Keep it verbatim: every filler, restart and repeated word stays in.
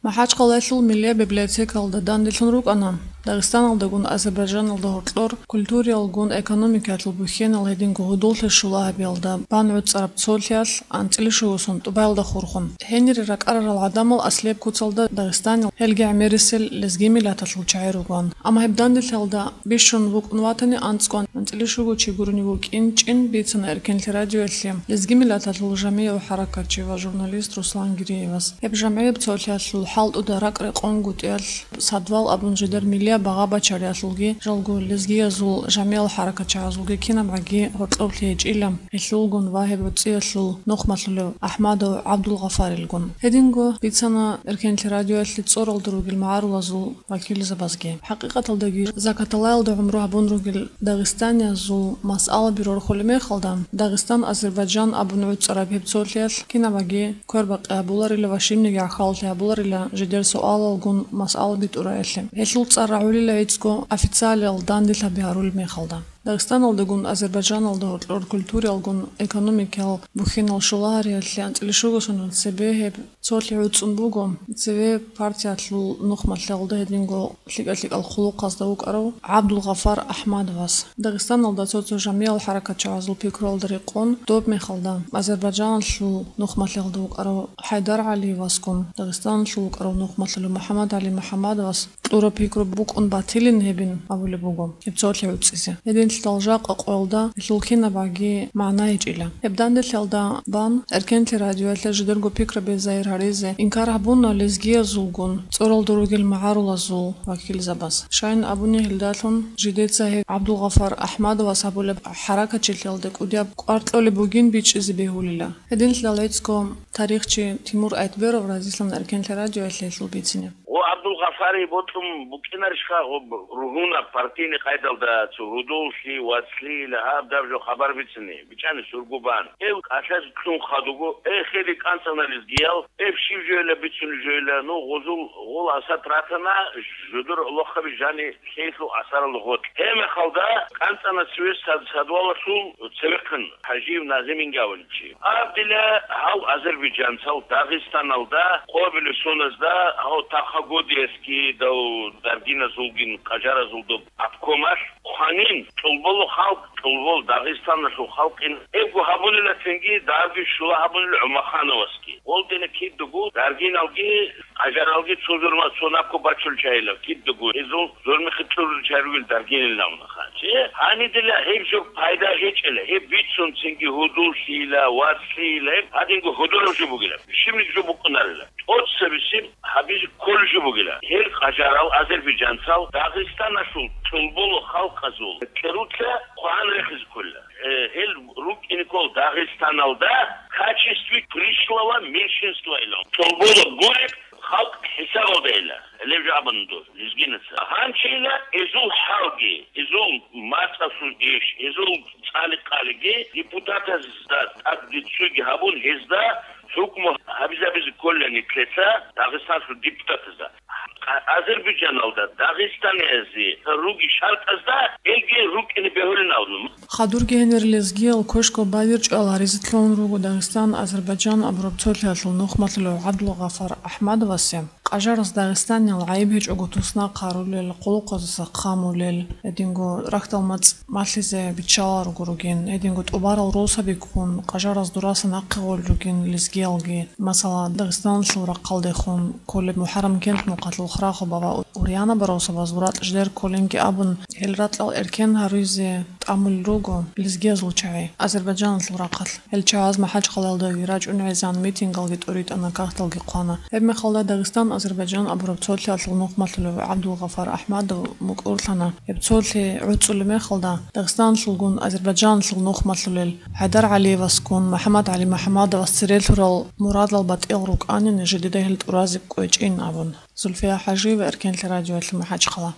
МахӀачхъалаялъул миллияб библиотекалда данделъун рукӀана Дагъистаналдагун Азербайджаналда гьоркьор культуриялгун экономикаялъул бухьенал гьединго гьудуллъи щула гьабиялда бан гӀуцӀараб цолъиялъ анцӀила щуго сон тӀубаялда хурхун. Гьенире ракӀарарал гӀадамал аслияб куцалда Дагъистанил, гьелги гӀемерисел лезги миллаталъул чагӀи ругоан. Амма гьеб данделъиялда бищун букӀун ватани анцӀго анцӀила щуго чи гурони вукӀин чӀин бицана Эркенлъи радиоялъе лезги миллаталъул жамигӀ ва хӀаракатчи ва журналист Руслан Гириевас. Гьеб жамгӀияб цолъиялъул хӀалтӀуда ракӀ-рекъон гутӀиялъ садвал абун жидер миллияб багъа бачариялъулги жалго лезгиязул жамигӀал хӀаракатчагӀазулги кинабгӀаги гьоркьоблъи гьечӀила гьелъулгун ва гьеб гӀуцӀиялъул нухмалъулев АхӀмадов ГӀабдулгъафарилгун. Гьединго бицана Эркенлъи радиоялъе цӀоралда ругел магӀарулазул вакилзабазги. ХӀакъикъаталдаги, закаталаялда гӀумру гьабун ругел дагъистаниязул масъалаби рорхулеб мехалда, Дагъистан-Азербайджан абун гӀуцӀараб гьеб цолъиялъ кинабаги квербакъи гьабуларила ва щибниги гӀахьаллъи гьабуларила жидер суалалгун масъалаби тӀураялъе. Гьелъул цӀар рагӀулила гӀицӀго официалиял данделъаби гьарулеб мехалда. Дагъистаналдагун Азербайджаналда гьоркьор культуриялгун экономикиял бухьенал щулагьариялъе анцӀила щуго сон цебе гьеб цолъи гӀуцӀун буго цеве партиялъул нухмалъулда гьединго лъикӀа-лъикӀал хъулухъазда вукӀарав ГӀабдулгъафар АхӀмадовас. Дагъистаналда цо-цо жамигӀал хӀаракатчагӀазул пикруялда рекъон, доб мехалда Азербайджаналъул нухмалъулда вукӀарав ХӀайдар ГӀалиевасгун, Дагъистаналъул вукӀарав нухмалъулев МухӀаммад ГӀали МухӀаммадовас кьураб пикру букӀун батилин гьебин абулеб буго гьеб цолъи гӀуцӀизе. Гьединлъидал жакъа къоялда гьелъул кинабгӀаги магӀна гьечӀила. Гьеб данделъиялда бан Эркенлъи радиоялъе жидерго пикраби загьир гьаризе инкар гьабуна лезгиязулгун цӀоралда ругел магӀарулазул вакилзабаз. Щайин абуни гьелдалъун жидеца гьеб ГӀабдулгъафар АхӀмадовас гьабулеб хӀаракатчилъиялда кӀудияб кӀвар кьолеб бугин бичӀчӀизе бегьулила. Гьединлъидал гӀицӀго тарихчи Тимур Айтберов разилъана Эркенлъи радиоялъе гьелъул бицине. Гъо ГӀабдулгъафари бокьун букӀинарищха гъо ругьунаб партийный къайдалда цо гьудуллъи, вацлъи, лагьаб даб жо хабар бицине, бичӀчӀани сургу бан. Гьев кӀалъазе кьун хадуго, э, хири кӀанцӀана лезгиял, гьеб щиб жойила бицунеб жойила, ну, гъозул гъола асат ратана, жодор лохаби жани лъейлъул асарал гъотӀ. Гьеб мехалда кӀанцӀана цеве сад-, садвалалъул цевехъин ХӀажиев Назиминги абулев чи. Абдила гьав азербайджанцал Дагъистаналда, Къобилисуназда, гьав Тахагодиевский дав даргиназулгин къажаразул доб обкомалъ хъванин, тӀолболо халкъ, тӀолбол Дагъистаналъул халкъин эбго гьабунила цинги дарги щула гьабунила ГӀумахановасги. Гъолдина кидаго даргиналги къажаралги цо зурма цо нахъо бачул чагьилав кидаго гьезул зурмихъе кьурул чагьи ругел даргинилан. Чи гьанидила гьеб жо пайда гьечӀила, гьеб бицун цинги гьудуллъийила, вацлъийила, гьеб гьадинго гьудураб жо бугила, щибниги жо букӀунарила. ТӀоцебесеб гьабизе кколеб жо бугила. Гьел къажарал азербайджанцал Дагъистаналъул тӀолболо халкъазул кьеруца хъван рехизе кколила. Э, гьел рукӀине ккол Дагъистаналда в качестве пришлого меньшинства илан. ТӀолболо гуреб халкъ хӀисабалда ила, гьелеб жо абун дос, лезгинаса. Гьанчила эзул хӀалги, эзул мацӀалъул иш, эзул цӀали-къалиги депутатазда тӀад цоги гьабун, гьезда хӀукму гьабизабизе кколила нилъеца Дагъистаналъул депутатазда. Азербайджаналда дагъистаниязе руги шартӀазда гьелги рукӀине бегьулин абун. Хадурги гьенир лезгиял квешго бавирчӀал гьаризе лъугьун руго Дагъистан-Азербайджан абураб цолъиялъул нухмалъулев ГӀабдулгъафар АхӀмадовасе. Къажараз Дагъистаниял гӀайиб гьечӀого туснахъ гьарулел, къулухъазаса хъамулел, гьединго рахьдал мацӀ малъизе биччалел руго ругин, гьединго тӀубарал росаби ккун, къажараз дураса нахъе гъолел ругин лезгиялги. Масала, Дагъистаналъул рахъалдехун кколеб МухӀаррам кент мухъалъул храхъо бава Урьяна Баросабаз ратӀ жидер кколинги абун, гьел ратӀал эркен гьарузе тӀамулел руго лезгиязул чагӀи Азербайджаналъул рахъалъ. Гьел чагӀаз МахӀачхъалаялдаги рачӀун гӀезан, митингалги тӀуритӀана, кагъталги хъвана. Гьеб мехалда Дагъистан-Азербайджан абураб цолъиялъул нухмалъулев ГӀабдулгъафар АхӀмадов мукӀурлъана. Гьеб цолъи гӀуцӀулеб мехалда Дагъистаналъулгун Азербайджаналъул нухмалъулел ХӀайдар ГӀалиевасгун МухӀаммад ГӀали МухӀаммадовас цере лъурал мурадал батӀиял рукӀанин жидеда гьел тӀуразе кӀвечӀин абун. Зульфия ХӀажиева, Эркенлъи радиоялъ, МахӀачхъала.